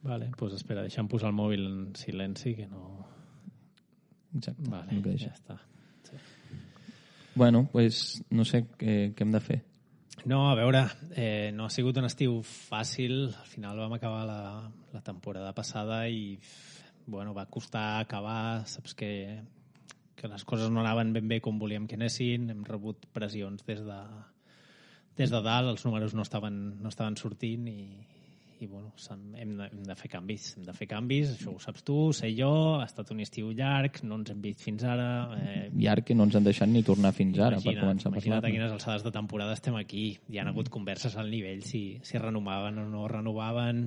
Vale, doncs espera, deixa'm posar el mòbil en silenci, que no... Exacte. Vale, ja està. Sí. Bueno, pues no sé què hem de fer. No, a veure, no ha sigut un estiu fàcil. Al final vam acabar la temporada passada i bueno, va costar acabar. Saps que les coses no anaven ben bé com volíem que anessin. Hem rebut pressions des de dalt, els números no estaven sortint i bueno, hem de fer canvis. Hem de fer canvis, això ho saps tu, sé jo, ha estat un estiu llarg, no ens hem vist fins ara. Llarg que no ens han deixat ni tornar fins ara per començar a parlar. Imagina't a quines alçades de temporada estem aquí. Hi ha hagut converses al nivell si renovaven o no renovaven.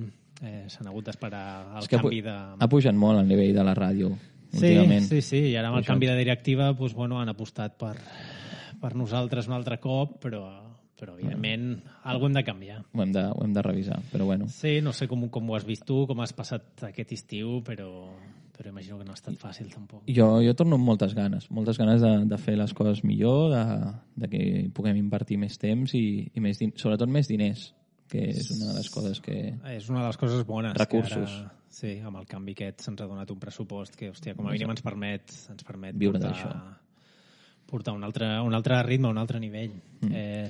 S'han hagut d'esperar el canvi de... Ha pujat molt el nivell de la ràdio últimament. Sí, i ara amb el canvi de directiva doncs, bueno, han apostat per nosaltres un altre cop, però evidentment alguna hem de canviar. Ho hem de revisar, però bueno. Sí, no sé com ho has vist tu, com has passat aquest estiu, però imagino que no ha estat fàcil tampoc. Jo torno amb moltes ganes de fer les coses millor, de que puguem invertir més temps i sobretot més diners, que és una de les coses que... És una de les coses bones. Recursos. Ara, sí, amb el canvi aquest se'ns ha donat un pressupost que, hòstia, com a mínim ens permet viure d'això. Portar un altre ritme, un altre nivell.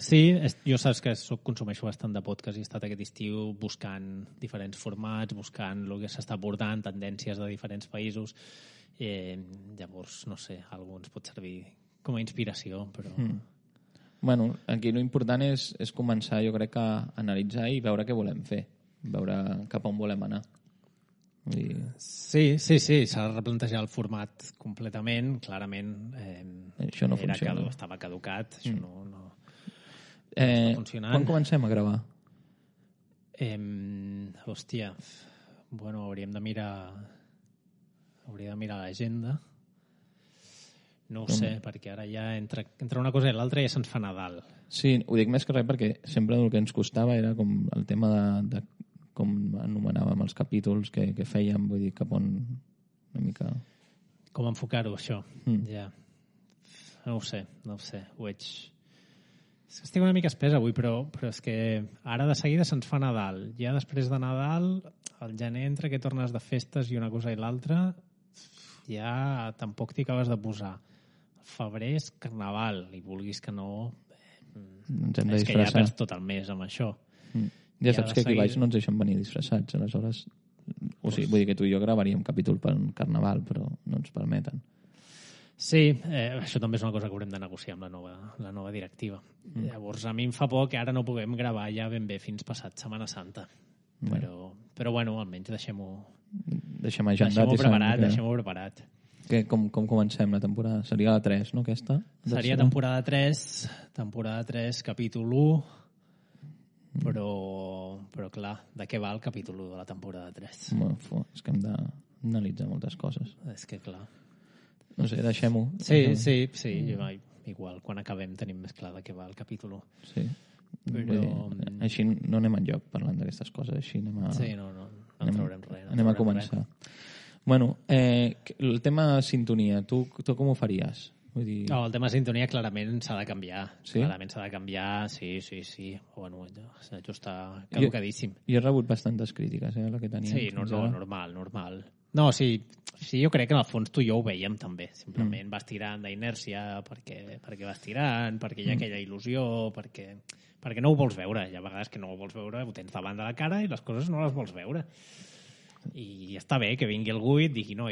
Sí, jo saps que consumeixo bastant de podcast i he estat aquest estiu buscant diferents formats, buscant el que s'està portant, tendències de diferents països. Llavors, no sé, algú ens pot servir com a inspiració, però... Bueno, aquí l'important és començar, jo crec, a analitzar i veure què volem fer, veure cap on volem anar. Sí, s'ha de replantejar el format completament, clarament. Això no funciona. Estava caducat, això no funcionant. Quan comencem a gravar? Hòstia, bueno, hauríem de mirar l'agenda. No ho sé, perquè ara ja entre una cosa i l'altra ja se'ns fa Nadal. Sí, ho dic més que res perquè sempre el que ens costava era com el tema de com anomenàvem els capítols que fèiem, vull dir, cap on una mica... Com enfocar-ho, això? Ja. No ho sé. Ho veig... Estic una mica espès avui, però és que ara de seguida se'ns fa Nadal. Ja després de Nadal, al gener, entre que tornes de festes i una cosa i l'altra, ja tampoc t'hi acabes de posar. El febrer és Carnaval, i vulguis que no... Ens hem de és disfressar. que ja perds tot el mes amb això. Ja saps que aquí baix no ens deixen venir disfressats, aleshores... O sigui, vull dir que tu i jo gravaríem capítol per un Carnaval, però no ens permeten. Sí, això també és una cosa que haurem de negociar amb la nova directiva. Llavors, a mi em fa por que ara no puguem gravar ja ben bé fins passat Setmana Santa. Però bueno, almenys deixem-ho preparat. Com comencem la temporada? Seria la 3, no, aquesta? Seria temporada 3, capítol 1, però clar, de què va el capítol 1 de la temporada 3? És que hem d'analitzar moltes coses. És que clar. No sé, deixem-ho. Sí, igual, quan acabem tenim més clar de què va el capítol 1. Sí. Però... Així no anem enlloc parlant d'aquestes coses, així anem a... Sí, no traurem res. Anem a començar. Bueno, el tema sintonia, tu com ho faries? Vull dir... No, el tema sintonia clarament s'ha de canviar. Sí? Clarament s'ha de canviar, sí. Bueno, això està caducadíssim. Jo he rebut bastantes crítiques, la que teníem. Sí, normal. No, sí, jo crec que en el fons tu i jo ho veiem també. Simplement vas tirant d'inèrcia perquè vas tirant, perquè hi ha aquella il·lusió, perquè no ho vols veure. Hi ha vegades que no ho vols veure, ho tens davant de la cara i les coses no les vols veure. I està bé que vingui algú i et digui no,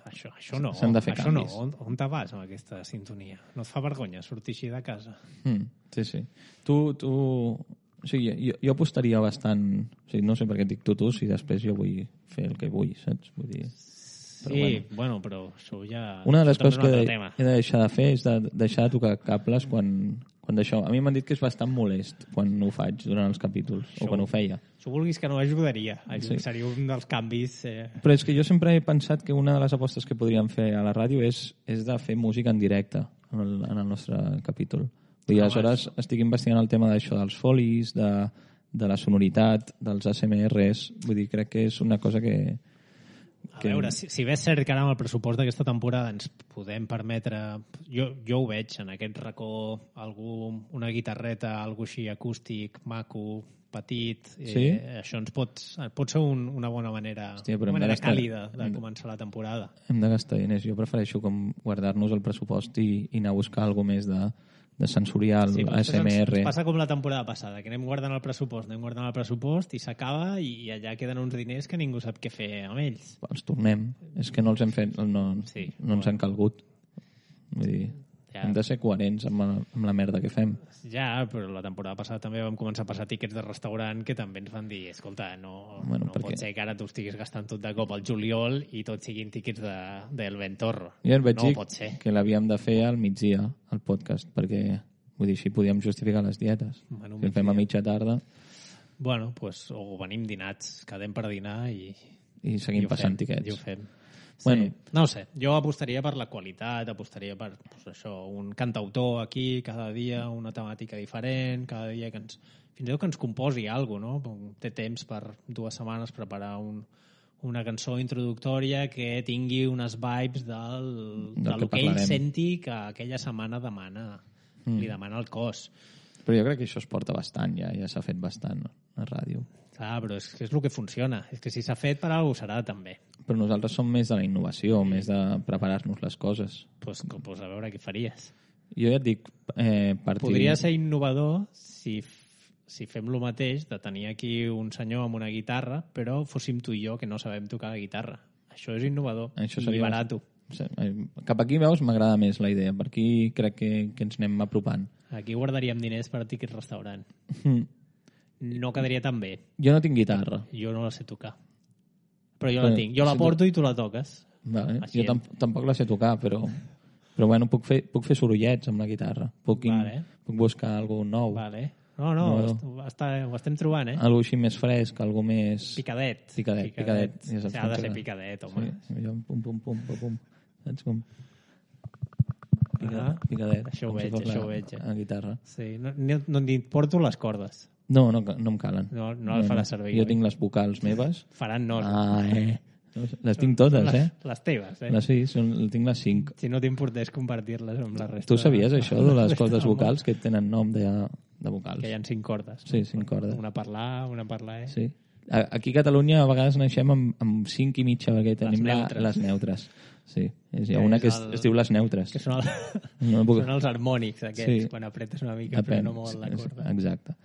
això no. S'han de fer canvis. On te vas amb aquesta sintonia? No et fa vergonya sortir així de casa? Sí. Tu... O sigui, jo apostaria bastant... O sigui, no sé per què et dic tu, si després jo vull fer el que vull, saps? Vull dir... Però això ja... Una de les coses que he de deixar de fer és de deixar de tocar cables quan d'això... A mi m'han dit que és bastant molest quan ho faig durant els capítols, o quan ho feia. Si vulguis que no ajudaria. Seria un dels canvis... Però és que jo sempre he pensat que una de les apostes que podríem fer a la ràdio és de fer música en directe en el nostre capítol. I aleshores estic investigant el tema d'això, dels folis, de la sonoritat, dels ASMRs. Vull dir, crec que és una cosa que... A veure, si bé és cert que ara amb el pressupost d'aquesta temporada ens podem permetre... Jo ho veig en aquest racó, una guitarreta, algo així acústic, maco, petit, Sí? això ens pot ser una bona manera, Hòstia, però una hem de manera gastar- càlida de començar la temporada. Hem de gastar diners. Jo prefereixo com guardar-nos el pressupost i anar a buscar alguna més de sensorial, Sí, però ASMR. ens passa com la temporada passada, que anem guardant el pressupost i s'acaba i allà queden uns diners que ningú sap què fer amb ells. Els tornem. És que no els hem fet, no Sí, ens han calgut. Vull dir, Ja. hem de ser coherents amb la merda que fem. Ja, però la temporada passada també vam començar a passar tiquets de restaurant que també ens van dir, escolta, no perquè- pot ser que ara tu estiguis gastant tot de cop al juliol i tots siguin tiquets del Ventorro. Jo et vaig No dir pot ser. que l'havíem de fer al migdia, el podcast, perquè vull dir, així podíem justificar les dietes. Bueno, Si el fem a mitja tarda Bueno, pues, o venim dinats, quedem per dinar i seguim ho passant fem, tiquets. i ho fem. Sí. Bueno. No ho sé, jo apostaria per la qualitat, apostaria per pues, això, un cantautor aquí cada dia, una temàtica diferent, cada dia que fins i tot que ens composi alguna cosa, no? Té temps per 2 setmanes preparar una cançó introductòria que tingui unes vibes del que ell parlarem. senti que aquella setmana li demana el cos. Però jo crec que això es porta bastant, ja s'ha fet bastant a ràdio. Però és que és el que funciona. És que si s'ha fet, per alguna cosa serà també. Però nosaltres som més de la innovació, més de preparar-nos les coses. Pues a veure què faries. Jo ja et dic... Podria ser innovador si fem lo mateix de tenir aquí un senyor amb una guitarra, però fóssim tu i jo que no sabem tocar la guitarra. Això és innovador i barato. Cap aquí, veus, m'agrada més la idea. Per aquí crec que ens anem apropant. Aquí guardaríem diners per tiquets restaurant. No quedaria tan bé. Jo no tinc guitarra. Jo no la sé tocar. Però jo la tinc. Jo la porto i tu la toques. Vale. Jo tampoc la sé tocar, però bueno, puc fer sorollets amb la guitarra. Puc buscar alguna cosa nou. Vale. No, ho estem trobant, eh? Algo així més fresc, algo més... Picadet. Picadet. Ha de ser picadet, home. Sí, pum. Saps com? Picadet. Això ho veig. A guitarra. Sí, no et porto les cordes. No em calen. No les faràs servir. Jo tinc les vocals meves. Faran nos. Les tinc totes, Les teves, Sí, tinc les 5. Si no t'importés compartir-les amb la resta. Tu sabies això, de les cordes vocals, que tenen nom de vocals? Que hi ha 5 cordes. Sí, 5 cordes. Una per l'A, una per la E. Sí. Aquí a Catalunya a vegades naixem amb 5 i mitja, perquè tenim les neutres. Sí, hi ha una que es diu les neutres. Que són els harmònics aquests, quan apretes una mica però no molt la corda. Exacte.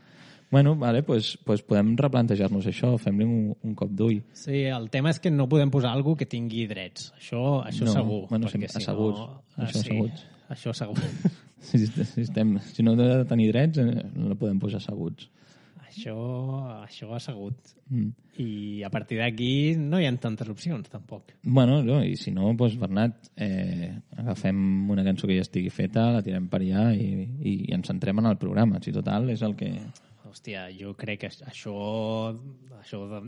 Bueno, vale, pues podem replantejar-nos això, fem-li un cop d'ull. Sí, el tema és que no podem posar alguna que tingui drets. Això segur. Bueno, asseguts. Això segur. Si no ha de tenir drets, no podem posar asseguts. Això assegut. I a partir d'aquí no hi ha tantes opcions, tampoc. Bueno, i si no, doncs, Bernat, agafem una cançó que ja estigui feta, la tirem per allà i ens centrem en el programa. Si total, és el que... Hòstia, jo crec que això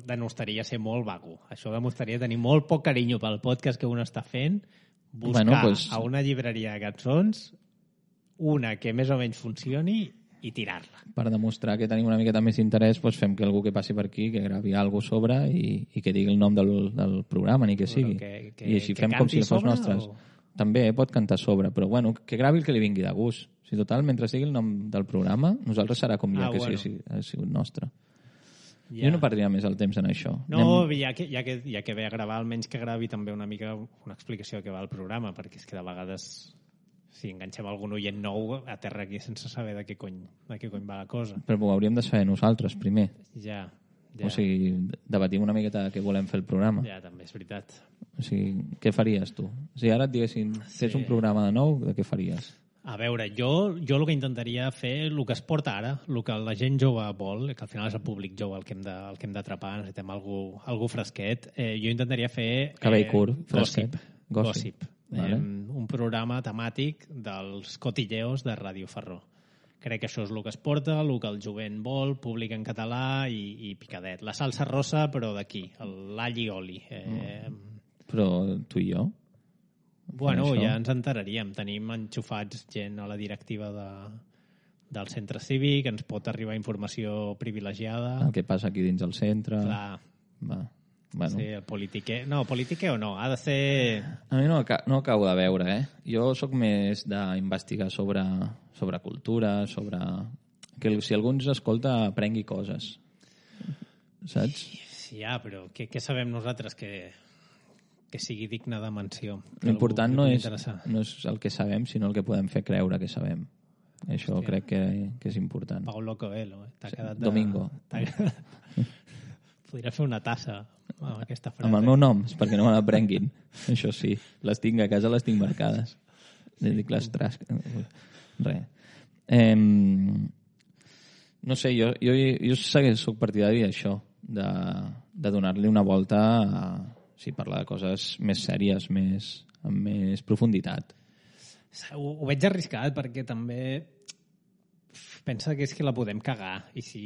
demostraria ser molt vago. Això demostraria tenir molt poc carinyo pel podcast que un està fent, buscar a una llibreria de cançons una que més o menys funcioni i tirar-la. Per demostrar que tenim una miqueta més interès, doncs fem que algú que passi per aquí, que gravi alguna cosa sobre i que digui el nom del programa, ni que sigui. I així fem com si fos nostres. També pot cantar sobre, però bueno, que gravi el que li vingui de gust. Si total, mentre sigui el nom del programa, nosaltres serà com ja que si ha sigut nostre. Jo no perdria més el temps en això. No, ja que ve a gravar, almenys que gravi també una mica una explicació de què va el programa, perquè és que de vegades si enganxem algun oient nou a terra aquí sense saber de què cony va la cosa. Però ho hauríem de saber nosaltres primer. Ja. O sigui, debatim una miqueta de què volem fer el programa. Ja, també és veritat. O sigui, què faries tu? O sigui, ara et diguessin, fes un programa de nou, de què faries? A veure, jo el que intentaria fer, el que es porta ara, el que la gent jove vol, que al final és el públic jove el que hem d'atrapar, necessitem algú fresquet, jo intentaria fer... Cabell curt, fresquet. Gossip. Vale. Un programa temàtic dels cotilleos de Ràdio Ferró. Crec que això és el que es porta, el que el jovent vol, públic en català i picadet. La salsa rosa, però d'aquí, l'all i oli. Però tu i jo? Bueno, ja ens enteraríem. Tenim enxufats gent a la directiva del centre cívic, ens pot arribar informació privilegiada. El que passa aquí dins del centre. Clar. Va. Bueno. Sí, el politiquer. No, politiquer o no, ha de ser... A mi no acabo de veure, Jo sóc més d'investigar sobre cultura, sobre... Que si algú ens escolta, aprengui coses. saps? Sí, però què sabem nosaltres que sigui digne de menció? L'important no és el que sabem, sinó el que podem fer creure que sabem. Això crec que és important. Paulo Coelho, t'ha quedat Domingo. Podria fer una tassa amb aquesta frase. Amb el meu nom, és perquè no me l'aprenguin. Això sí, les tinc a casa, les tinc marcades. Dic les trasc... Res. No sé, jo soc partidari d'això, de donar-li una volta a parlar de coses més sèries, amb més profunditat. Ho veig arriscat perquè també pensa que és que la podem cagar i si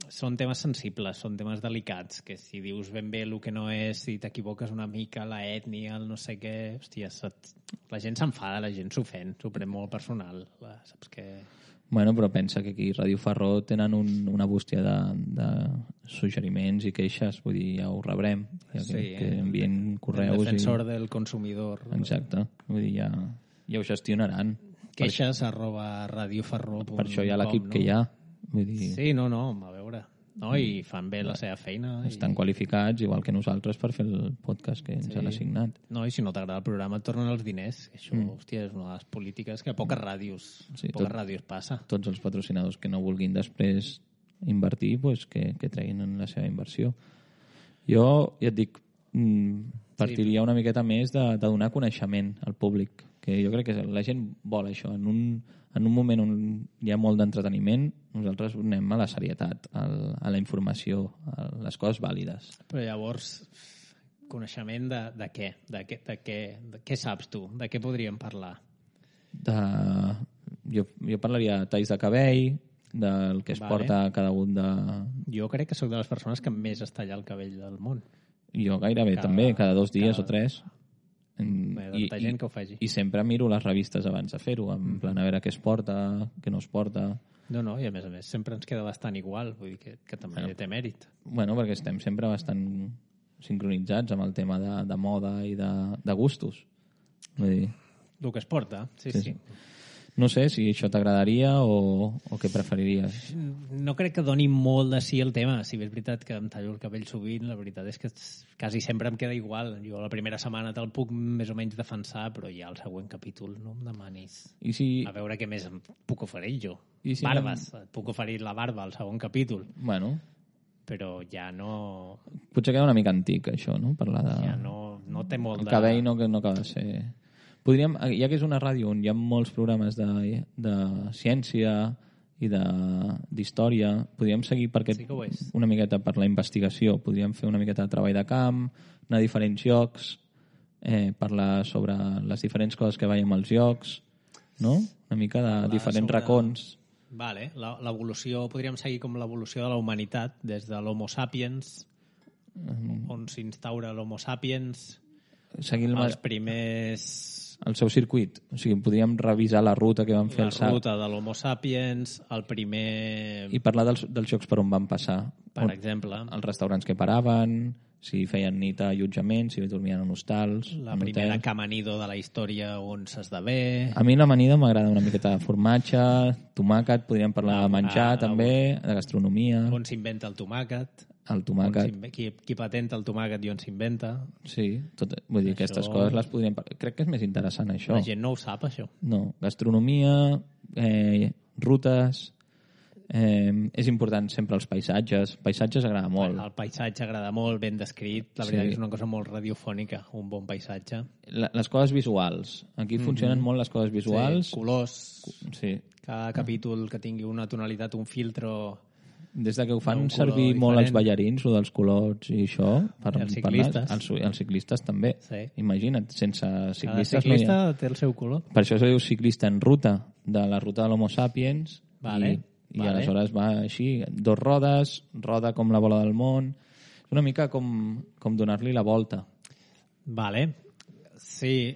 són temes sensibles, són temes delicats, que si dius ben bé el que no és, si t'equivoques una mica, la ètnia, el no sé què, hòstia, la gent s'enfada, la gent s'ofèn, s'ho pren molt personal, saps què? Bueno, però pensa que aquí a Ràdio Ferró tenen una bústia de suggeriments i queixes, vull dir, ja ho rebrem, que envien correus. El defensor del consumidor. Exacte, vull dir, ja ho gestionaran. Queixes @radioferró.com. Per això hi ha l'equip que hi ha. Vull dir... Sí, no, a veure. No, i fan bé la seva feina. Estan qualificats, igual que nosaltres, per fer el podcast que ens han assignat. No, i si no t'agrada el programa et tornen els diners. Això, hòstia, és una de les polítiques que a poques ràdios passa. Tots els patrocinadors que no vulguin després invertir, pues, que treguin en la seva inversió. Jo, ja et dic, partiria una miqueta més de donar coneixement al públic, que jo crec que la gent vol això. En un moment on hi ha molt d'entreteniment, nosaltres anem a la serietat, a la informació, a les coses vàlides. Però llavors, coneixement de què? De què saps tu? De què podríem parlar? Jo parlaria de talls de cabell, del que es porta cada un de... Jo crec que sóc de les persones que més es talla el cabell del món. Jo gairebé també, cada 2 dies o 3. Gent que ho faci. I sempre miro les revistes abans de fer-ho, en plan a veure què es porta, què no es porta. No, i a més sempre ens queda bastant igual, vull dir que també té mèrit. Bueno, perquè estem sempre bastant sincronitzats amb el tema de moda i de gustos. Vull dir... El que es porta, sí. No sé si això t'agradaria o què preferiries. No crec que doni molt de sí el tema. Si bé és veritat que em tallo el cabell sovint, la veritat és que quasi sempre em queda igual. Jo la primera setmana te'l puc més o menys defensar, però ja el següent capítol no em demanis. A veure què més em puc oferir jo. Barbes. Et puc oferir la barba al segon capítol. Bueno. Però ja no... Potser queda una mica antic, això, no? Parlar de... Ja no té molt el cabell no acaba de ser... Podríem, ja que és una ràdio on hi ha molts programes de ciència i d'història, podríem seguir una miqueta per la investigació. Podríem fer una miqueta de treball de camp, anar a diferents llocs, parlar sobre les diferents coses que veiem als llocs, no? Una mica de diferents racons. Vale, l'evolució, podríem seguir com l'evolució de la humanitat, des de l'Homo sapiens, on s'instaura l'Homo sapiens, els primers... El seu circuit. O sigui, podríem revisar la ruta que van fer la ruta de l'Homo sapiens, el primer... I parlar dels llocs per on van passar. Per exemple. Els restaurants que paraven, si feien nit a allotjament, si dormien en hostals... La primera camanido de la història on s'esdevé... A mi l'amanida m'agrada una miqueta de formatge, tomàquet, podríem parlar de menjar també, de gastronomia... On s'inventa el tomàquet... El tomàquet. Qui patenta el tomàquet i on s'inventa. Sí, vull dir, aquestes coses les podríem... Crec que és més interessant, això. La gent no ho sap, això. No, gastronomia, rutes... és important sempre els paisatges. Paisatges agrada molt. El paisatge agrada molt, ben descrit. La veritat que és una cosa molt radiofònica, un bon paisatge. Les coses visuals. Aquí funcionen molt les coses visuals. Sí, colors. Sí. Cada capítol que tingui una tonalitat, un filtro... Des de que ho fan servir molt els ballarins, o dels colors i això, els ciclistes. Els ciclistes també. Sí. Imagina't, sense ciclistes... Cada ciclista té el seu color. Per això se diu ciclista en ruta, de la ruta de l'Homo sapiens, i aleshores va així, 2 rodes, roda com la bola del món... És una mica com donar-li la volta. Vale. Sí,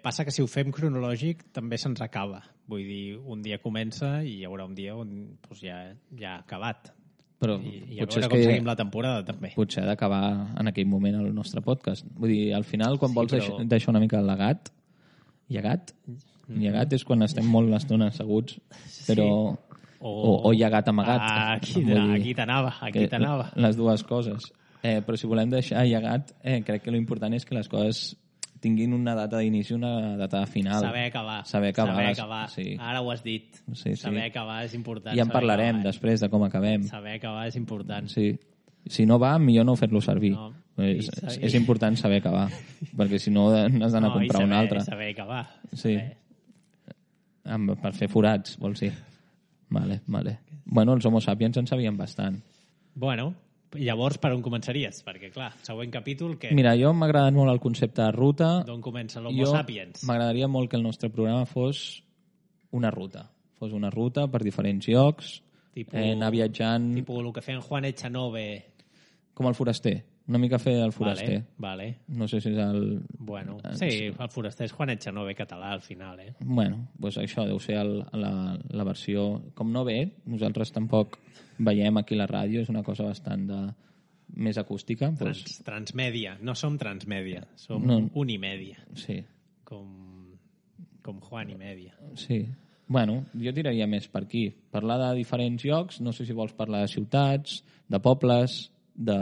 passa que si ho fem cronològic també se'ns acaba. Vull dir, un dia comença i hi haurà un dia on ja ha acabat. Però I a veure com seguim la temporada, també. Potser ha d'acabar en aquell moment el nostre podcast. Vull dir, al final, quan vols deixar una mica llegat, llegat és quan estem molt l'estona asseguts, però... o llegat amagat. Aquí t'anava. Les dues coses. Però si volem deixar llegat, crec que l'important és que les coses tinguin una data d'inici i una data de final. Saber acabar. Sí. Ara ho has dit. Sí. Saber acabar és important. I en parlarem després de com acabem. Saber acabar és important. Sí. Si no va, millor no fer-lo servir. No. És important saber acabar, perquè si no n'has d'anar a comprar un altre. Saber acabar. Sí. Per fer forats, vols dir? Vale. Bueno, els Homo sapiens en sabien bastant. Bueno, llavors per on començaries? Perquè, clar, següent capítol... Que... Mira, jo m'ha agradat molt el concepte de ruta. D'on comença l'Homo sapiens? M'agradaria molt que el nostre programa fos una ruta. Fos una ruta per diferents llocs, anar viatjant... Tipus el que feien Juan Echanove. Com el foraster. Una mica fer el foraster. Vale. No sé si és el... Bueno, sí, el foraster és Juan Echanove català al final, Bueno, doncs això deu ser la versió... Com no ve, nosaltres tampoc veiem aquí la ràdio, és una cosa bastant més acústica. Transmèdia. No som transmèdia, som unimèdia. Sí. Com Juan i Mèdia. Sí. Bueno, jo tiraria més per aquí. Parlar de diferents llocs, no sé si vols parlar de ciutats, de pobles, de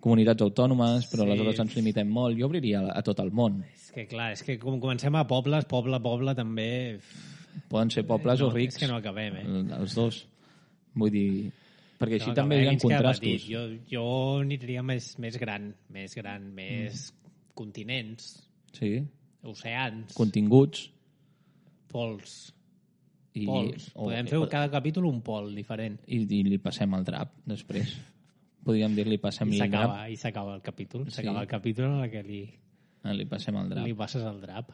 comunitats autònomes, però aleshores ens limitem molt. Jo obriria a tot el món. És que clar, és que com comencem a pobles, poble també... Poden ser pobles o rics. És que no acabem, Els dos. Vull dir... Perquè així també hi ha contrastos. Jo aniria més gran, més continents, oceans... Continguts. Pols. Podem fer cada capítol un pol diferent. I li passem el drap, després. Podríem dir-li passem-li el drap. I s'acaba el capítol. S'acaba el capítol en què li passem el drap. Li passes el drap.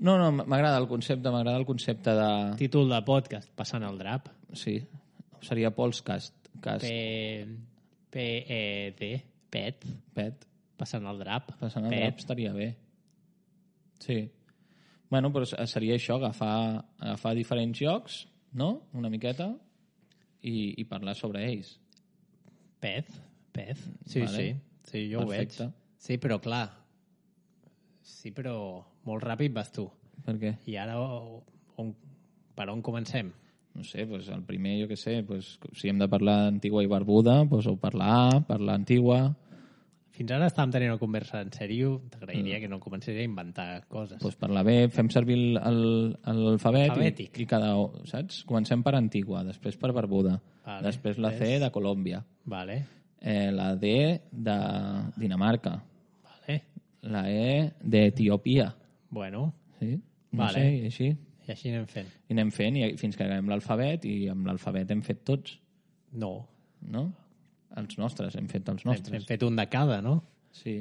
No, m'agrada el concepte de... Títol de podcast, passant el drap. Sí, seria Polscast. P-E-D. Pet. Passant el drap. Passant el drap estaria bé. Sí. Bueno, però seria això, agafar diferents llocs, no?, una miqueta, i parlar sobre ells. Pet. Sí, vale. Sí, jo perfecte. Ho veig. Sí, però clar. Sí, però molt ràpid vas tu. Per què? I ara per on comencem? No sé, doncs el primer, jo què sé, doncs, si hem de parlar Antigua i Barbuda, doncs o parlar Antigua. Fins ara estàvem tenint una conversa en sèrio, t'agrairia que no comencés a inventar coses. Doncs parlar bé, fem servir l'alfabet i cada... Saps? Comencem per Antigua, després per Barbuda, després la C de Colòmbia, la D de Dinamarca, la E d'Etiòpia. Bueno. Sí? No sé, i així. I així anem fent. I anem fent fins que acabem l'alfabet, i amb l'alfabet hem fet tots. No? Els nostres, hem fet els nostres. Hem fet un de cada, no? Sí,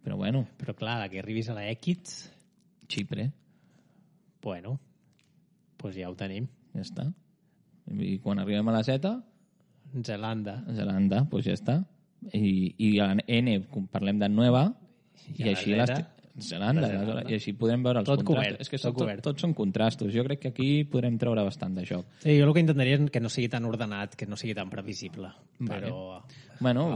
però bueno. Però clar, que arribis a la X... Xipre. Bueno, doncs ja ho tenim. Ja està. I quan arribem a la Z... Zelanda, doncs ja està. I a la N parlem de Nueva, i així Zelanda, i així podrem veure els contrastos. És que tots són contrastos. Jo crec que aquí podrem treure bastant de joc. Sí, jo el que intentaria és que no sigui tan ordenat, que no sigui tan previsible. Però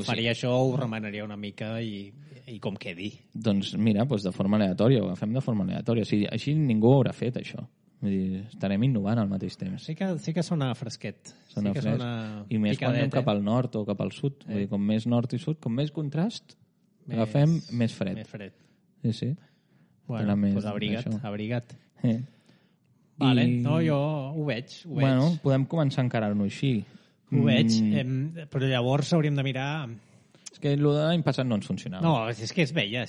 faria això, ho remanaria una mica i com quedi. Doncs mira, de forma aleatòria, ho agafem de forma aleatòria. Així ningú ho haurà fet, això. Vull dir, estarem innovant al mateix temps. Sí que sona fresquet. Sona fresc. I més quan anem cap al nord o cap al sud. Vull dir, com més nord i sud, com més contrast, agafem més fred. Sí. Bueno, doncs abriga't. Vale, no, jo ho veig. Bueno, podem començar a encarar-nos així. Ho veig, però llavors hauríem de mirar... És que l'any passat no ens funcionava. No, és que es veia,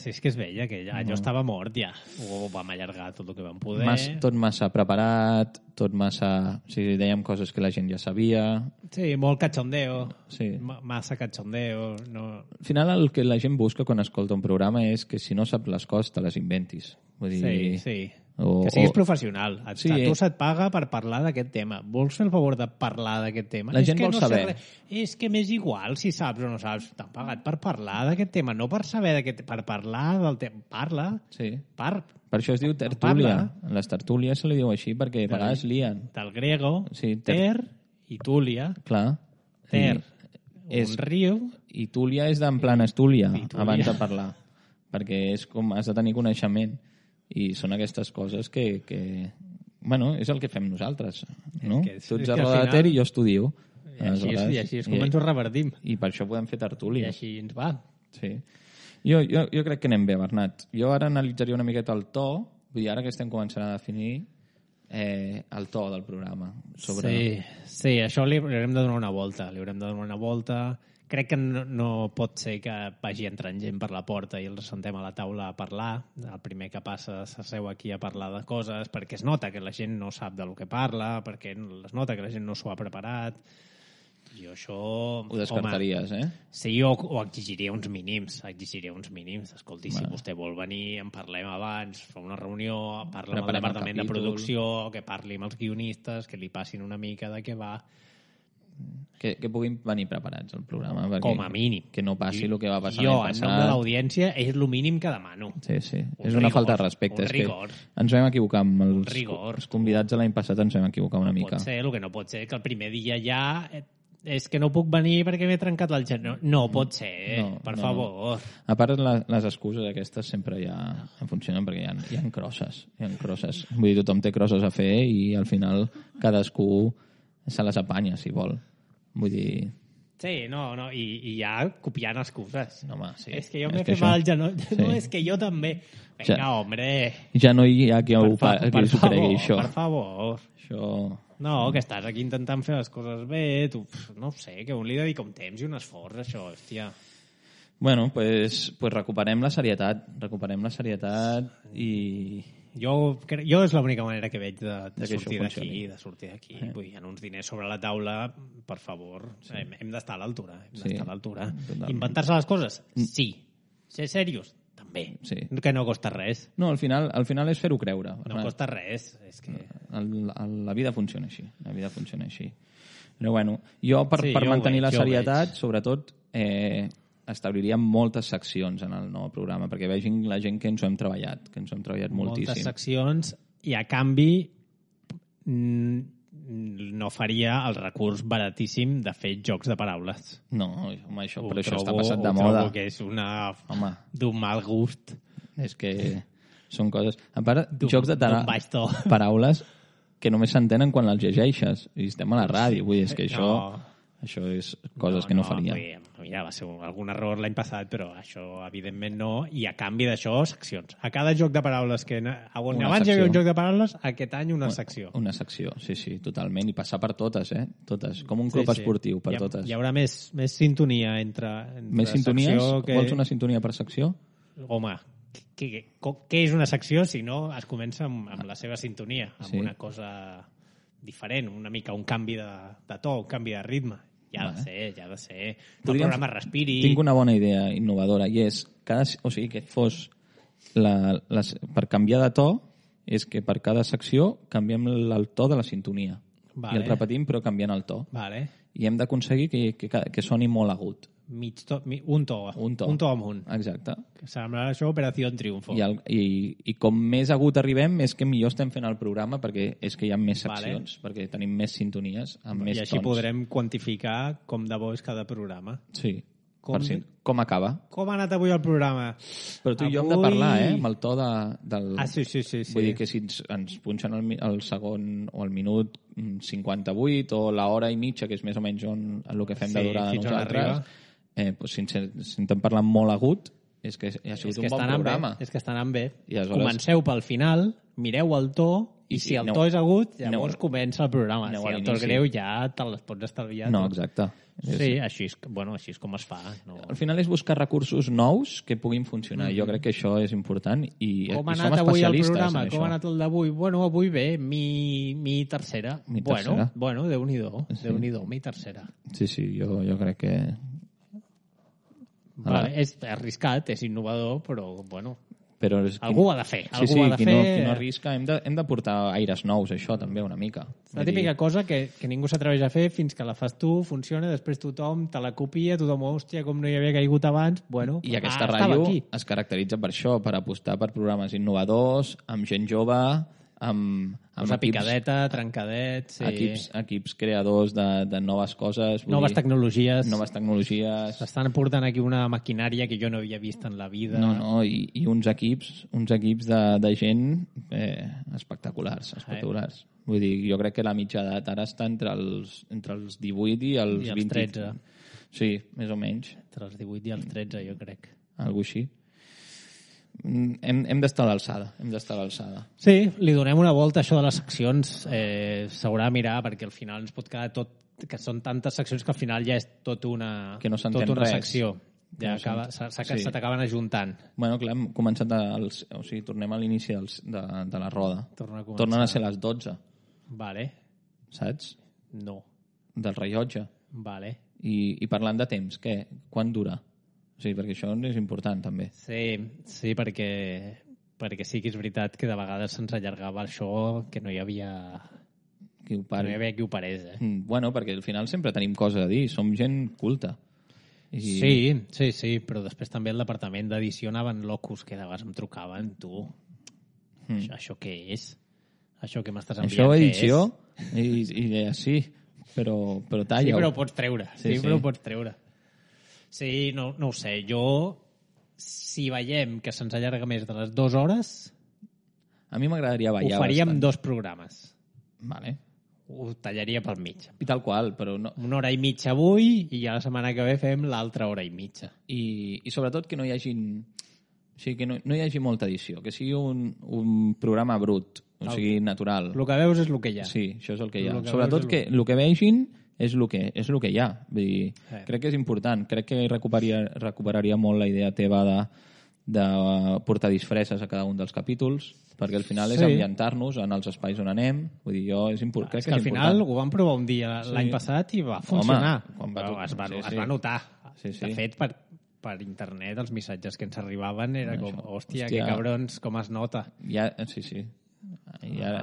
que allò estava mort ja. Ho vam allargar tot el que vam poder. Tot massa preparat, tot massa... O sigui, dèiem coses que la gent ja sabia. Sí, molt cachondeo. Sí. Massa cachondeo. No... Al final el que la gent busca quan escolta un programa és que si no saps les coses te les inventis. Vull dir... Sí. Que siguis professional. A tu se't paga per parlar d'aquest tema. Vols fer el favor de parlar d'aquest tema? La gent vol saber. És que m'és igual si saps o no saps. T'han pagat per parlar d'aquest tema, no per saber per parlar del tema. Parla. Sí. Per això es diu tertúlia. En les tertúlies se li diu així perquè a vegades lien. Del grego, ter i túlia. Clar. Ter, un riu. I túlia és d'en plan estúlia, abans de parlar. Perquè és com has de tenir coneixement. I són aquestes coses que Bueno, és el que fem nosaltres, no? És que Tu ets al a Roda de final- Ter i jo estudio. I així és com ens ho revertim. I per això podem fer I tertúlies. així ens va. Sí. Jo crec que anem bé, Bernat. Jo ara analitzaria una miqueta el to, vull dir, ara que estem començant a definir el to del programa. Sí, això li haurem de donar una volta. Crec que no pot ser que vagi entrant gent per la porta i els sentem a la taula a parlar. El primer que passa s'asseu aquí a parlar de coses perquè es nota que la gent no sap del que parla, perquè es nota que la gent no s'ho ha preparat. Jo això... Ho descartaries, Sí, o exigiria uns mínims. Escolti, si vostè vol venir, en parlem abans, fa una reunió, parla amb el departament de producció, que parli amb els guionistes, que li passin una mica de què va. Que puguin venir preparats al programa. Perquè, com a mínim. Que no passi el que va passar Jo, l'any en passat. nom de l'audiència, és el mínim que demano. Sí. És una falta de respecte. Un rigor. Ens vam equivocar amb rigor. els convidats de l'any passat, ens vam equivocar una mica. El que no pot ser que el primer dia ja... És que no puc venir perquè m'he trencat el genoll. No pot ser, per favor. A part, les excuses aquestes sempre ja funcionen perquè hi ha crosses. Vull dir, tothom té crosses a fer i al final cadascú se les apanya, si vol. Vull dir... Sí, i ja copiant excuses. No, home, sí. És que jo m'he fet mal al genoll. Sí. No, és que jo també. Vinga, hombre. Ja no hi ha qui s'ho cregui, això. Per favor. Això... No, que estàs aquí intentant fer les coses bé, tu, no sé, que un li dedica un temps i un esforç, això, hòstia. Bueno, pues recuperem la serietat i... Jo és l'única manera que veig de sortir d'aquí. Vull dir, en uns diners sobre la taula, per favor, hem d'estar a l'altura. Inventar-se les coses? Sí. Ser serios? També. Sí. Que no costa res. No, al final és fer-ho creure. No costa res. És que... La vida funciona així. Però bueno, jo per mantenir la serietat, sobretot, establiria moltes seccions en el nou programa, perquè vegin la gent que ens ho hem treballat, moltíssim. Moltes seccions, i a canvi no faria el recurs baratíssim de fer jocs de paraules. No, home, això està passat de moda. Trobo que és d'un mal gust. És que són coses... A part, jocs de paraules que només s'entenen quan les llegeixes. I estem a la ràdio, vull dir, és que això és coses que no faria. Mira, va ser algun error l'any passat, però això evidentment no. I a canvi d'això, seccions. A cada joc de paraules que... On abans hi havia un joc de paraules, aquest any una secció. Una secció, sí, totalment. I passar per totes, totes. Com un club esportiu, per totes. Hi haurà més sintonia entre més sintonies? Vols una sintonia per secció? Home, què és una secció si no es comença amb la seva sintonia, amb una cosa diferent, una mica un canvi de to, un canvi de ritme. Ja ha de ser. El programa respiri... Tinc una bona idea innovadora i és que fos per canviar de to és que per cada secció canviem el to de la sintonia. I el repetim però canviant el to. I hem d'aconseguir que soni molt agut. Un to amunt. Exacte. Que sembla això Operació Triunfo. I com més agut arribem és que millor estem fent el programa perquè és que hi ha més seccions, perquè tenim més sintonies amb més tons. I així podrem quantificar com de bo és cada programa. Sí. Com acaba. Com ha anat avui el programa? Però tu i jo hem de parlar, amb el to del... Sí. Vull dir que si ens punxen el segon o el minut 58 o l'hora i mitja, que és més o menys el que fem de durada nosaltres, si intentem parlar molt agut, és que ha sigut un bon programa. És que està anant bé. Comenceu pel final, mireu el to, i si el to és agut, llavors comença el programa. Si el to és greu, ja te les pots estalviar. No, exacte. Sí, així és com es fa. Al final és buscar recursos nous que puguin funcionar. Jo crec que això és important i com ha anat avui el programa? Com ha anat el d'avui? Bueno, avui bé, mi tercera. Bueno, Déu-n'hi-do. Déu-n'hi-do, mi tercera. Sí, jo crec que... És arriscat, és innovador, però bueno... Però algú ho ha de fer. Qui no arrisca, hem de portar aires nous, això també una mica. La típica cosa que ningú s'atreveix a fer fins que la fas tu, funciona, després tothom te la copia, tothom, hòstia, com no hi havia caigut abans, bueno... I aquesta ràdio es caracteritza per això, per apostar per programes innovadors, amb gent jove, Posar picadeta, trencadet... Sí. Equips creadors de noves coses. Noves tecnologies. Noves tecnologies. S'estan portant aquí una maquinària que jo no havia vist en la vida. No, i uns equips de gent espectaculars. Vull dir, jo crec que la mitja edat ara està entre els 18 i els 20. 13. Sí, més o menys. Entre els 18 i els 13, jo crec. Algo així. Hem d'estar a l'alçada. Sí, li donem una volta a això de les seccions. S'haurà de mirar, perquè al final ens pot quedar tot... Que són tantes seccions que al final ja és tot una, que no s'entén tot una res. secció. Ja se t'acaben ajuntant. Bueno, clar, hem començat o sigui, tornem a l'inici de la roda. Tornen a ser les 12. Vale. Saps? No. Del rellotge. Vale. I parlant de temps, què? Quan dura? O sigui, perquè això és important, també. Sí, perquè sí que és veritat que de vegades se'ns allargava això, que no hi havia qui ho parés. Bueno, perquè al final sempre tenim coses a dir, som gent culta. Sí, però després també el departament d'edició anaven locos, que de vegades em trucaven, tu. Això què és? Això que m'estàs enviant, això edició? Sí, però talla. Sí, però ho pots treure. Però ho pots treure. Sí, no ho sé. Jo, si veiem que se'ns allarga més de les 2 hores... A mi m'agradaria ballar ho faríem bastant. 2 programes. Vale. Ho tallaria pel mig. I tal qual, però no... 1 hora i mitja avui i ja la setmana que ve fem l'altra hora i mitja. I sobretot que no hi hagin... O sigui, que no hi hagi molta edició, que sigui un programa brut, o sigui, natural. El que veus és el que hi ha. Sí, això és el que hi ha. Sobretot que el que vegin és el que hi ha. Vull dir, crec que és important. Crec que recuperaria molt la idea teva de portar disfresses a cada un dels capítols, perquè al final és ambientar-nos en els espais on anem. Vull dir, crec que és al final ho vam provar un dia l'any passat i va funcionar. Es va notar. De fet, per internet els missatges que ens arribaven era com, hòstia, que cabrons, com es nota. Sí. Ja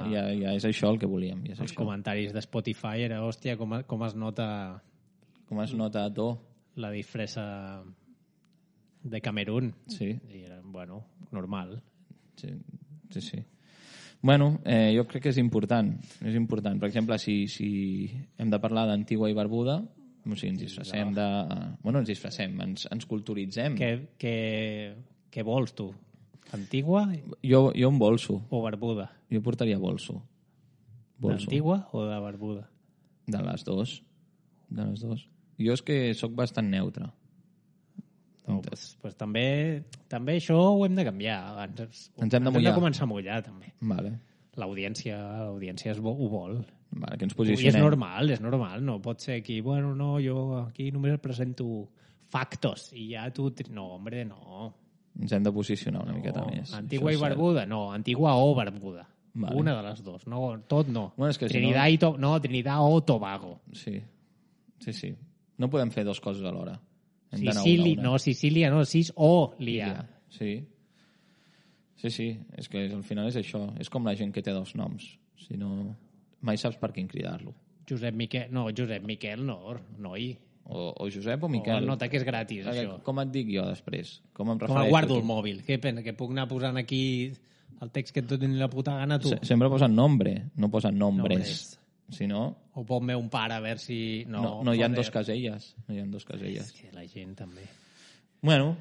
és això el que volíem. Els comentaris de Spotify era, hòstia, com es nota... Com es nota a to. La disfressa de Camerún. Sí. I era, bueno, normal. Sí. Bueno, jo crec que és important. És important. Per exemple, si hem de parlar d'Antigua i Barbuda, o sigui, ens disfressem de... Bueno, ens culturitzem. Què vols, tu? Antigua? Jo em bolso. O Barbuda? Jo portaria bolso. D'Antigua o de Barbuda? De les dues. Jo és que sóc bastant neutre. No, pues també això ho hem de canviar. Ens hem de començar a mullar, també. Vale. L'audiència ho vol. Vale, que ens posicionem. I és normal. No pot ser aquí, bueno, no, jo aquí només presento factos i ja tu... No, hombre, no. Ens hem de posicionar una miqueta més. Antigua i Barbuda? No, Antigua o Barbuda. Vale. Una de les dues. No, tot no. Bueno, és que Trinidad o Tobago. Sí. No podem fer 2 coses alhora. Sicília, no, Cis o Lia. Sí. És que al final és això. És com la gent que té 2 noms. Si no... Mai saps per quin cridar-lo. Josep Miquel, noi. O Josep o Miquel. O nota que és gratis, això. Com et dic jo després? Com em refereixo? Com guardo el mòbil? Què pensa? Que puc anar posant aquí el text que et doni la puta gana, tu? Sempre posen nombre, no posen nombres. Si no... O pot-me un pare a veure si... No hi ha 2 caselles. És que la gent també... Bueno.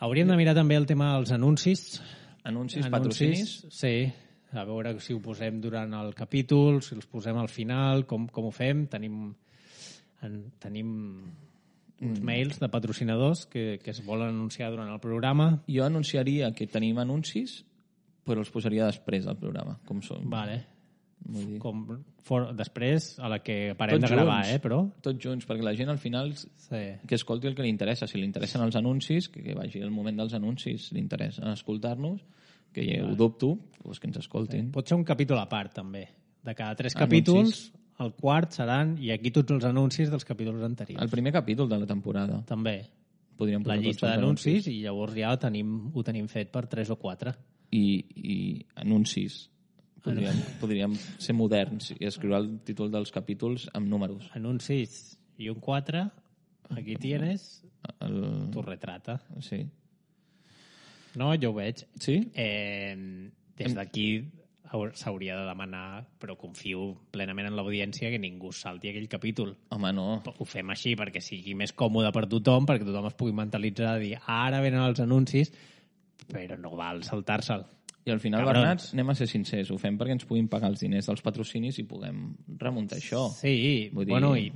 Hauríem de mirar també el tema dels anuncis. Anuncis, patrocinis? Sí. A veure si ho posem durant el capítol, si els posem al final, com ho fem. Tenim uns mails de patrocinadors que es volen anunciar durant el programa. Jo anunciaria que tenim anuncis, però els posaria després del programa, com són. Vale. Després, a la que parem de gravar, però... Tots junts, perquè la gent al final que escolti el que li interessa. Si li interessen els anuncis, que vagi al moment dels anuncis, si li interessa escoltar-nos, que ho dubto, doncs que ens escoltin. Pot ser un capítol a part, també. De cada 3 capítols, el quart seran, i aquí tots els anuncis dels capítols anteriors. El primer capítol de la temporada. També. Podríem la llista d'anuncis, i llavors ja ho tenim fet per 3 o 4. I anuncis. Podríem ser moderns i escriure el títol dels capítols amb números. Anuncis i un 4, aquí tienes tu retrata. Sí. No, jo ho veig. Sí? Des d'aquí s'hauria de demanar, però confio plenament en l'audiència que ningú salti aquell capítol. Home, no. Ho fem així perquè sigui més còmode per tothom, perquè tothom es pugui mentalitzar de dir ara venen els anuncis, però no val saltar-se'l. I al final, Bernat, anem a ser sincers, ho fem perquè ens puguin pagar els diners dels patrocinis i puguem remuntar això. Sí, bueno, i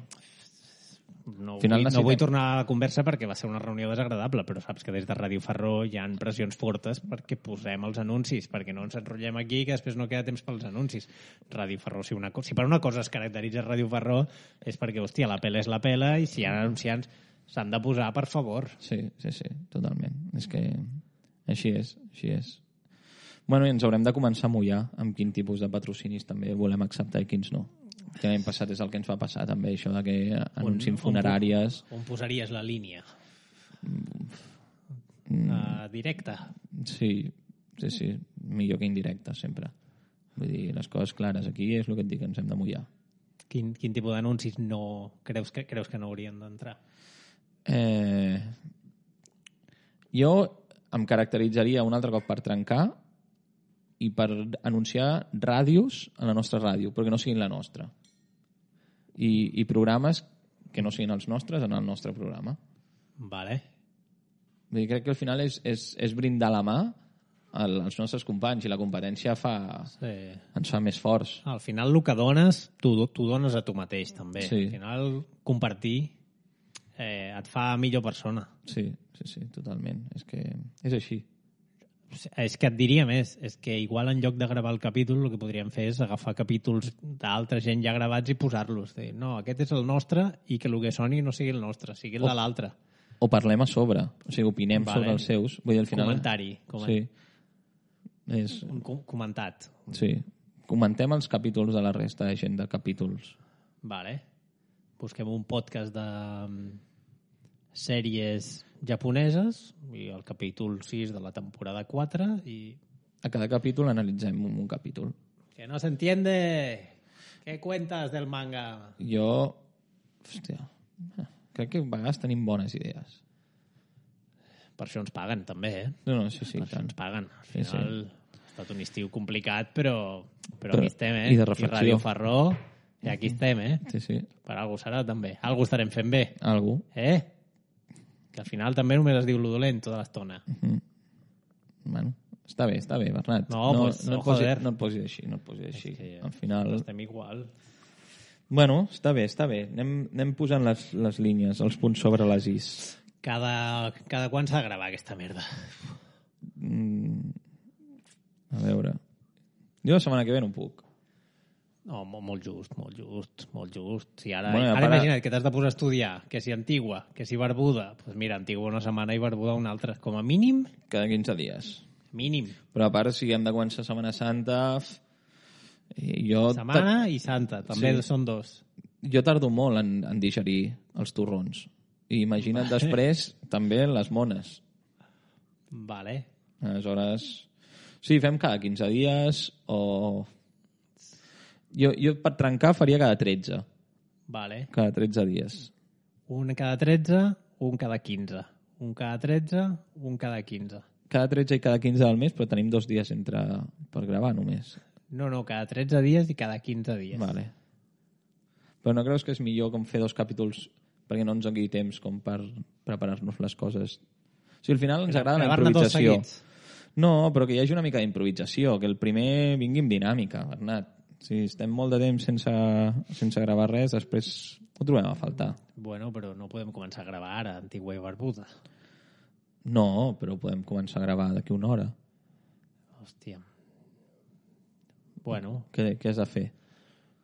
no vull tornar a la conversa perquè va ser una reunió desagradable, però saps que des de Ràdio Ferró hi ha pressions fortes perquè posem els anuncis, perquè no ens enrotllem aquí que després no queda temps pels anuncis. Ràdio Ferró, si per una cosa es caracteritza Ràdio Ferró és perquè, hòstia, la pela és la pela i si hi ha anunciants s'han de posar, per favor. Sí, totalment. És que així és. Bueno, i ens haurem de començar a mullar amb quin tipus de patrocinis també volem acceptar i quins no. Que l'any passat és el que ens va passar també, això de que anuncin funeràries. On posaries la línia? Directa? Sí, millor que indirecta sempre. Vull dir, les coses clares aquí és el que et dic, ens hem de mullar. Quin tipus d'anuncis no creus que no haurien d'entrar? Jo em caracteritzaria un altre cop per trencar i per anunciar ràdios a la nostra ràdio, però que no siguin la nostra. I programes que no siguin els nostres en el nostre programa. Vale. Vull dir, crec que al final és brindar la mà als nostres companys i la competència ens fa més forts. Al final el que dones, tu dones a tu mateix també. Sí. Al final compartir et fa millor persona. Sí, totalment. És que és així. És que et diria més, és que igual en lloc de gravar el capítol el que podríem fer és agafar capítols d'altra gent ja gravats i posar-los. No, aquest és el nostre i que el que soni no sigui el nostre, sigui el de l'altre. O parlem a sobre, o sigui, opinem sobre els seus. Vull dir, al final... Comentari. Sí. Un comentat. Sí. Comentem els capítols de la resta de gent de capítols. Vale. Busquem un podcast de sèries japoneses i el capítol 6 de la temporada 4 i... A cada capítol analitzem un capítol. Que no se entiende. ¿Qué cuentas del manga? Jo... Hòstia... Crec que a vegades tenim bones idees. Per això ens paguen, també, eh? No, sí. Per això ens paguen. Al final ha estat un estiu complicat, però aquí estem, eh? I de reflexió. I Ràdio Ferró, i aquí estem, eh? Sí. Per algú serà, també. Algú estarem fent bé. Algú. Que al final també només es diu lo dolent tota l'estona. Bueno, està bé, Bernat. No et posis així. Al final... Estem igual. Bueno, està bé. Anem posant les línies, els punts sobre les is. Cada quan s'ha de gravar aquesta merda? A veure... Jo la setmana que ve no puc. No, molt just. Si ara imagina't que t'has de posar a estudiar, que si Antigua, que si Barbuda, doncs mira, Antigua una setmana i Barbuda una altra. Com a mínim... Cada 15 dies. Mínim. Però a part, si hem de començar Setmana Santa... Setmana i Santa, també són dos. Jo tardo molt en digerir els torrons. I imagina't després també les mones. Vale. Aleshores... Sí, fem cada 15 dies o... Jo per trencar faria cada 13. Vale. Cada 13 dies. Un cada 13, un cada 15. Un cada 13, un cada 15. Cada 13 i cada 15 del mes, però tenim 2 dies per gravar només. No, cada 13 dies i cada 15 dies. Vale. Però no creus que és millor com fer 2 capítols perquè no ens doni temps com per preparar-nos les coses? O sigui, al final ens agrada la improvisació. No, però que hi hagi una mica d'improvisació, que el primer vingui amb dinàmica, Bernat. Si estem molt de temps sense gravar res, després ho trobem a faltar. Bueno, però no podem començar a gravar ara, Antigua i Barbuda. No, però podem començar a gravar d'aquí una hora. Hòstia. Bueno. Què has de fer?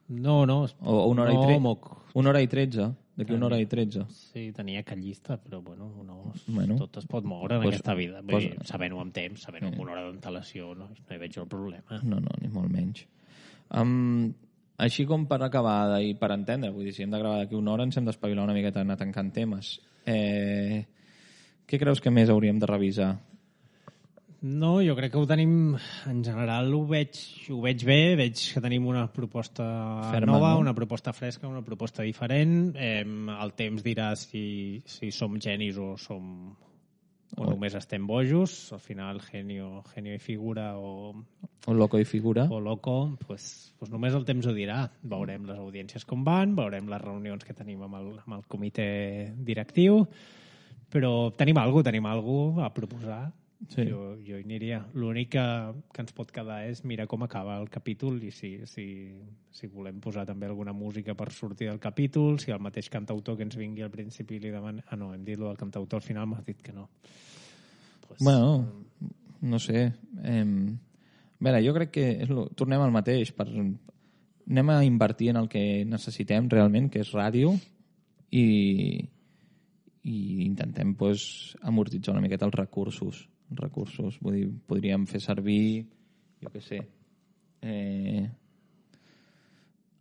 No. O una hora i 13? Una hora i 13? D'aquí una hora i 13? Sí, tenia que llista, però tot es pot moure en aquesta vida. Vull dir, sabent-ho amb temps, sabent-ho amb una hora d'antelació, no hi veig el problema. No, ni molt menys. Així com per acabar i per entendre, vull dir, si hem de gravar d'aquí una hora ens hem d'espavilar una miqueta a anar tancant temes. Què creus que més hauríem de revisar? No, jo crec que ho tenim... En general ho veig bé, veig que tenim una proposta nova, una proposta fresca, una proposta diferent. El temps dirà si som genis o som o només estem bojos, al final genio i figura o loco i figura. O loco, pues només el temps ho dirà. Veurem les audiències com van, veurem les reunions que tenim amb el comitè directiu, però tenim alguna a proposar. Sí. Jo hi aniria. L'únic que ens pot quedar és mirar com acaba el capítol i si volem posar també alguna música per sortir del capítol, si el mateix cantautor que ens vingui al principi li demana... Ah, no, hem dit el cantautor, al final m'has dit que no. Pues, bueno, no sé. A veure, jo crec que tornem al mateix. Anem a invertir en el que necessitem realment, que és ràdio, i intentem amortitzar una miqueta els recursos. Vull dir, podríem fer servir, jo què sé,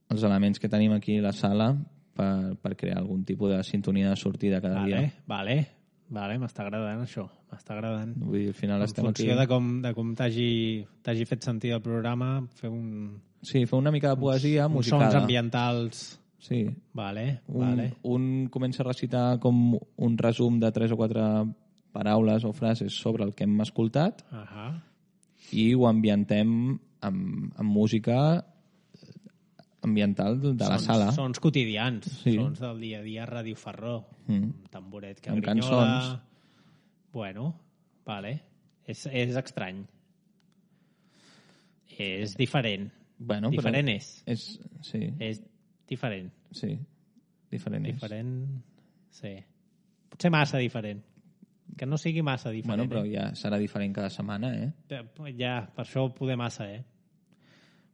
els elements que tenim aquí a la sala per crear algun tipus de sintonia de sortida cada dia. Vale, m'està agradant això, m'està agradant. Vull dir, al final estem aquí... En funció de com t'hagi fet sentir el programa, fer una mica de poesia musicada. Uns sons ambientals... Sí. Vale. Un comença a recitar com un resum de 3 o 4 paraules o frases sobre el que hem escoltat i ho ambientem amb música ambiental de la sala. Sons quotidians, sons del dia a dia, Ràdio Ferró, un tamboret que amb grinyola... cançons. Bueno, vale. És estrany. És diferent. Bueno, diferent sí. És diferent. Sí, diferent és. Diferent, sí. Potser massa diferent. Que no sigui massa diferent. Bueno, però ja serà diferent cada setmana, Ja, per això poder massa,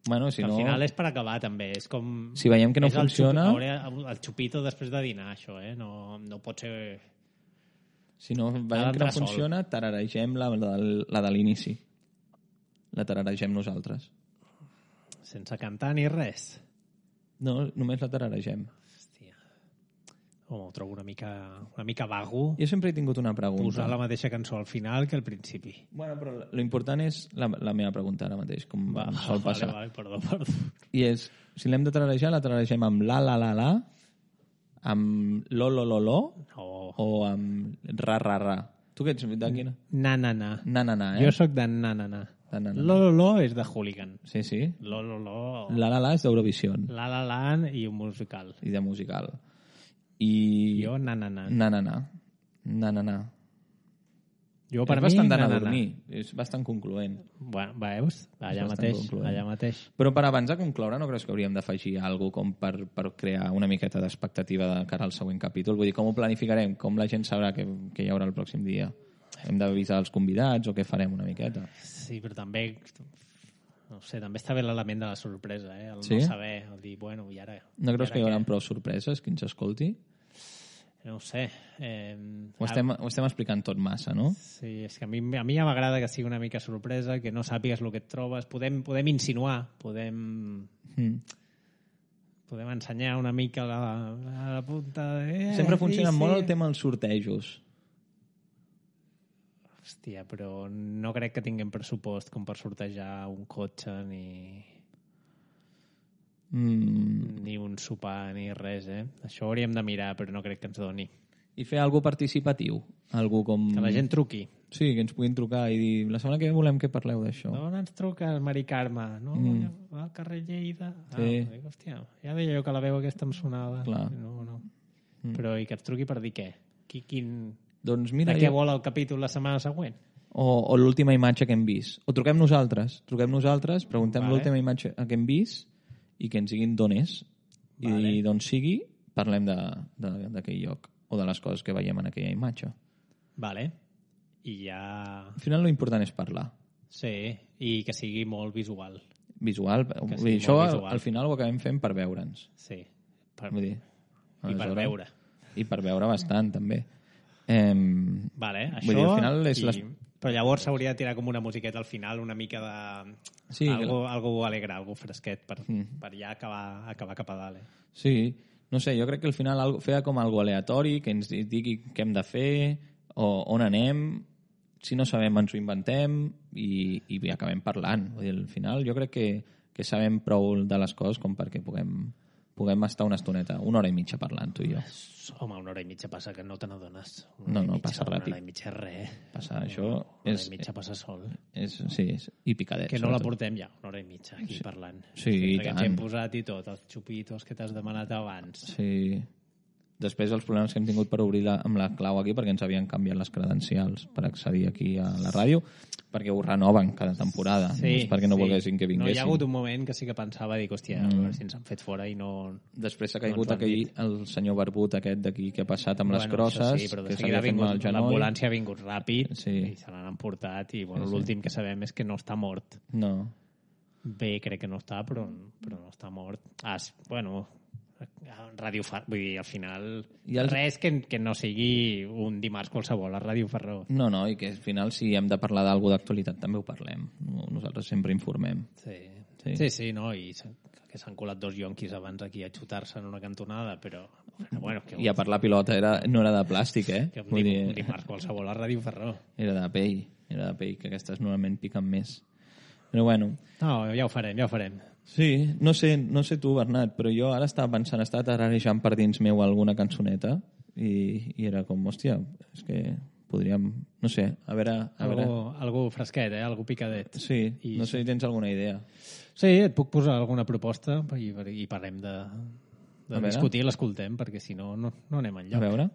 Bueno, si que no... al final és per acabar, també. És com... Si veiem que no funciona... El xupito després de dinar, això, No pot ser... Si no veiem que no funciona, tararegem la de l'inici. La tararegem nosaltres. Sense cantar ni res. No, només la tararegem. Hòstia. Ho trobo una mica vago. Jo sempre he tingut una pregunta. Posar la mateixa cançó al final que al principi. Bueno, però l'important és la meva pregunta ara mateix, com sol passar. Vale, perdó. I és, si l'hem de tararejar, la tararegem amb la, amb lo, o amb ra. Tu què ets de quina? Na, Jo sóc de na. Lo és de Hooligan. Sí. Lo. La és d'Eurovision. La i un musical. I de musical. I... Jo na. Jo per és mi bastant d'anar a dormir. És bastant concloent. Bueno, veus? Allà mateix. Però per abans de concloure, no creus que hauríem d'afegir alguna cosa per crear una miqueta d'expectativa de cara al següent capítol? Vull dir, com ho planificarem? Com la gent sabrà que hi haurà el pròxim dia? Hem d'avisar els convidats o què farem una miqueta? Sí, però també... No sé, també està bé l'element de la sorpresa, El sí? no saber, el dir, bueno, i ara... No creus que hi haurà prou sorpreses que ens escolti? No ho sé. Ho estem explicant tot massa, no? Sí, és que a mi ja m'agrada que sigui una mica sorpresa, que no sàpigues el que et trobes. Podem insinuar, podem ensenyar una mica a la punta de... Sempre funciona molt el tema dels sortejos. Hòstia, però no crec que tinguem pressupost com per sortejar un cotxe ni un sopar ni res, Això ho hauríem de mirar, però no crec que ens doni. I fer alguna participatiu? Algú com... Que la gent truqui. Sí, que ens puguin trucar i dir la setmana que ve volem que parleu d'això. D'on ens truca el Mari Carme? No? Al carrer Lleida? Sí. Hòstia, ja deia jo que la veu aquesta em sonava. Clar. No. Però i que ens truqui per dir què? Doncs mira, de què vol el capítol la setmana següent? O l'última imatge que hem vist. O truquem nosaltres, preguntem l'última imatge que hem vist i que ens diguin d'on és. I d'on sigui, parlem d'aquell lloc o de les coses que veiem en aquella imatge. Vale. I ja... Al final l'important és parlar. Sí, i que sigui molt visual. Visual? Això al final ho acabem fent per veure'ns. Sí. Vull dir, I per veure. I per veure bastant, també. Vale, això... Vull dir, al final és Però llavors s'hauria de tirar com una musiqueta al final, una mica de... Sí, algo alegre, algo fresquet, per ja acabar cap a dalt. Sí, no sé, jo crec que al final fer com algo aleatori, que ens digui què hem de fer, o on anem, si no sabem ens ho inventem i acabem parlant. Vull dir, al final jo crec que sabem prou de les coses com perquè puguem puguem estar una estoneta, 1 hora i mitja parlant, tu i jo. Home, 1 hora i mitja passa que no te n'adones. No, passa ràpid. 1 hora i mitja és res. Passa, això 1 hora i mitja passa sol. Sí, i picadet. Que no la portem ja, 1 hora i mitja, aquí parlant. Sí, i que tant. ens hem posat i tot, els xupitos que t'has demanat abans. Sí. Després els problemes que hem tingut per obrir amb la clau aquí, perquè ens havien canviat les credencials per accedir aquí a la ràdio, perquè ho renoven cada temporada. Sí, no és perquè no volguessin que No, vinguessin. hi ha hagut un moment que sí que pensava, dic, hòstia, a veure si ens han fet fora i no... Després s'ha caigut el senyor barbut aquest d'aquí que ha passat amb les crosses, sí, però de que seguida s'havia fet mal al genoll. l'ambulància ha vingut ràpid Sí. i se l'han emportat i l'últim que sabem és que no està mort. No. Bé, crec que no està, però no està mort. Bueno, Ràdio Ferró, vull dir, al final res que no sigui un dimarts qualsevol a Ràdio Ferró. No, i que al final si hem de parlar d'algú d'actualitat també ho parlem. Nosaltres sempre informem. Sí, no, i que s'han colat 2 yonquis abans aquí a xutar-se en una cantonada, però... Bueno, I a part la pilota no era de plàstic, eh? Que un dimarts qualsevol a Ràdio Ferró. Era de pell, que aquestes normalment piquen més. Però bueno... No, ja ho farem. Sí, no sé tu, Bernat, però jo ara estava pensant, estava tararejant per dins meu alguna cançoneta i era com, hòstia, és que podríem, no sé, a veure... Algú fresquet, algú picadet. Sí, no sé si tens alguna idea. Sí, et puc posar alguna proposta i parlem de discutir, l'escoltem, perquè si no, no anem enlloc. A veure...